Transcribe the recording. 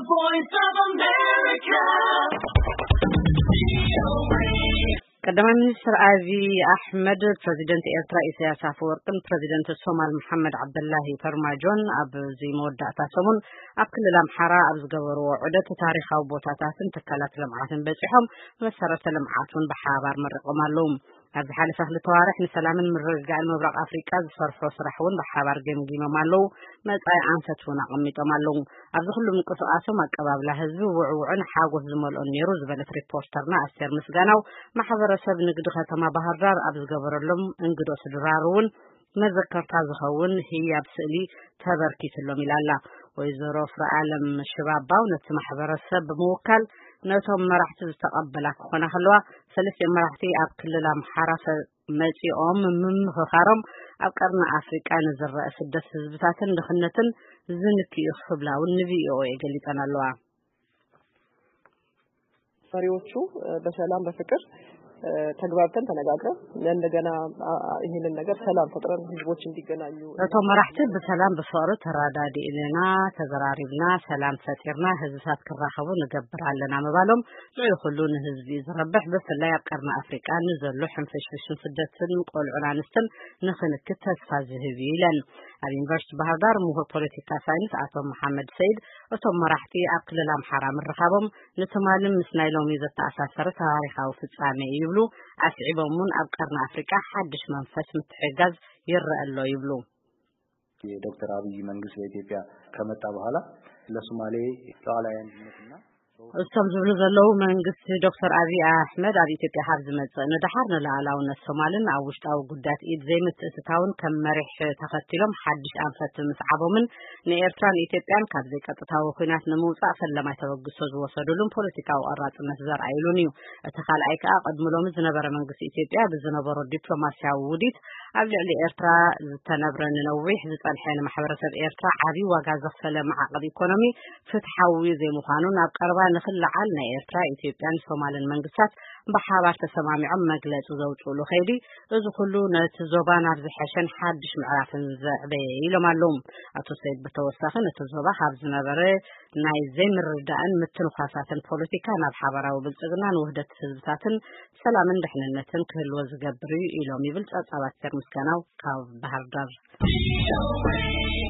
Voice of America. ቀዳማይ ሚኒስትር ኣብይ ኣሕመድ ፕረዚደንት ኤርትራ ኢሳያስ ኣፈወርቅን ፕረዚደንት ሶማል መሓመድ ዓብደላሂ ፈርማጆን ኣብዚ መወዳእታ ሰሙን ኣብ ክልል ኣምሓራ ኣብ ዝገበርዎ ዑደት ታሪኻዊ ቦታታትን ትካላት ልምዓትን በጺሖም መሰረተ ልምዓት እውን ብሓባር መሪቖም ኣለዉ። ኣብ ዝሓለፈ ክልተ ዋርሕ ንሰላምን ምርግጋእን ምብራቕ ኣፍሪቃ ዝሰርሖ ስራሕ እውን ብሓባር ገምጊሞም ኣለዉ። መጻኢ ኣንፈት እውን ኣቐሚጦም ኣለዉ። ኣብዚ ኩሉ ምንቅስቓሶም ኣቀባብላ ህዝቢ ውዕውዕን ሓጎስ ዝመልኦን ነይሩ ዝበለት ሪፖርተርና ኣስቴር ምስጋናው፣ ማሕበረሰብ ንግዲ ከተማ ባህር ዳር ኣብ ዝገበረሎም እንግዶ ስድራሩ እውን መዘከርታ ዝኸውን ህያብ ስእሊ ተበርኪትሎም ኢላ ኣላ። ወይዘሮ ፍረኣለም ሽባባው ነቲ ማሕበረሰብ ብምውካል ነቶም መራሕቲ ዝተቐበላ ክኾና ከለዋ፣ ሰለስቲኦም መራሕቲ ኣብ ክልል ኣምሓራ ሰ- መጺኦም ምምኽኻሮም ኣብ ቀርኒ ኣፍሪቃ ንዝረአ ስደት ህዝብታትን ድኽነትን ዝንክዩ ክብላ እውን ንቪኦኤ ገሊጸን ኣለዋ። መሪዎቹ በሰላም በፍቅር ተግባብተን ተነጋግረን እንደገና ይህንን ነገር ሰላም ፈጥረን ህዝቦች እንዲገናኙ እቶም መራሕቲ ብሰላም ብፍቕሪ ተረዳዲእና ተዘራሪብና ሰላም ፈጢርና ህዝብታት ክራኸቡ ንገብር ኣለና ምባሎም ልዑል ኩሉ ንህዝቢ እዩ ዝረብሕ። ብፍላይ ኣብ ቀርኒ ኣፍሪቃ ንዘሎ ሕንፍሽፍሽን ስደትን ቆልዑን ኣንስትን ንክንክት ተስፋ ዝህብ እዩ ኢለን። ኣብ ዩኒቨርሲቲ ባህር ዳር ምሁር ፖለቲካ ሳይንስ ኣቶ መሓመድ ሰይድ እቶም መራሕቲ ኣብ ክልል ኣምሓራ ምርኻቦም ንትማልን ምስ ናይ ሎሚ ዘተኣሳሰረ ታሪኻዊ ፍጻሜ እዩ ይብሉ። ኣስዒቦም እውን ኣብ ቀርኒ ኣፍሪቃ ሓድሽ መንፈስ ምትሕጋዝ ይረአ ኣሎ ይብሉ። የዶክተር አብይ መንግስት በኢትዮጵያ ከመጣ በኋላ ለሶማሌ ሉዓላዊ አንድነትና እቶም ዝብሉ ዘለዉ መንግስቲ ዶክተር ኣብይ ኣሕመድ ኣብ ኢትዮጵያ ካብ ዝመጽእ ንደሓር ንሉዓላውነት ሶማልን ኣብ ውሽጣዊ ጉዳያት ኢድ ዘይምትእትታውን ከም መሪሕ ተኸቲሎም ሓድሽ ኣንፈት ምስዓቦምን ንኤርትራን ኢትዮጵያን ካብ ዘይቀጥታዊ ኲናት ንምውጻእ ፈለማይ ተበግሶ ዝወሰዱሉን ፖለቲካዊ ቆራጽነት ዘርኣዩሉን እዩ። እቲ ካልኣይ ከኣ ቅድሚ ሎሚ ዝነበረ መንግስቲ ኢትዮጵያ ብዝነበሮ ዲፕሎማስያዊ ውዲት ኣብ ልዕሊ ኤርትራ ዝተነብረ ንነዊሕ ዝጸንሐ ንማሕበረሰብ ኤርትራ ዓቢ ዋጋ ዘኽፈለ ማዕቐብ ኢኮኖሚ ፍትሓዊ ዘይምዃኑ ናብ ቀረባ ንኽለዓል ናይ ኤርትራ፣ ኢትዮጵያን ሶማልን መንግስታት ብሓባር ተሰማሚዖም መግለጺ ዘውፅእሉ ከይዲ እዚ ኩሉ ነቲ ዞባ ናብ ዝሐሸን ሓድሽ ምዕራፍን ዘዕበየ ኢሎም ኣለዉ። ኣቶ ሰይድ ብተወሳኺ ነቲ ዞባ ካብ ዝነበረ ናይ ዘይምርድዳእን ምትንኳሳትን ፖለቲካ ናብ ሓባራዊ ብልፅግናን ውህደት ህዝብታትን ሰላምን ድሕንነትን ክህልዎ ዝገብር እዩ ኢሎም ይብል ፀብፃብ ኣስቴር ምስጋናው ካብ ባህር ዳር።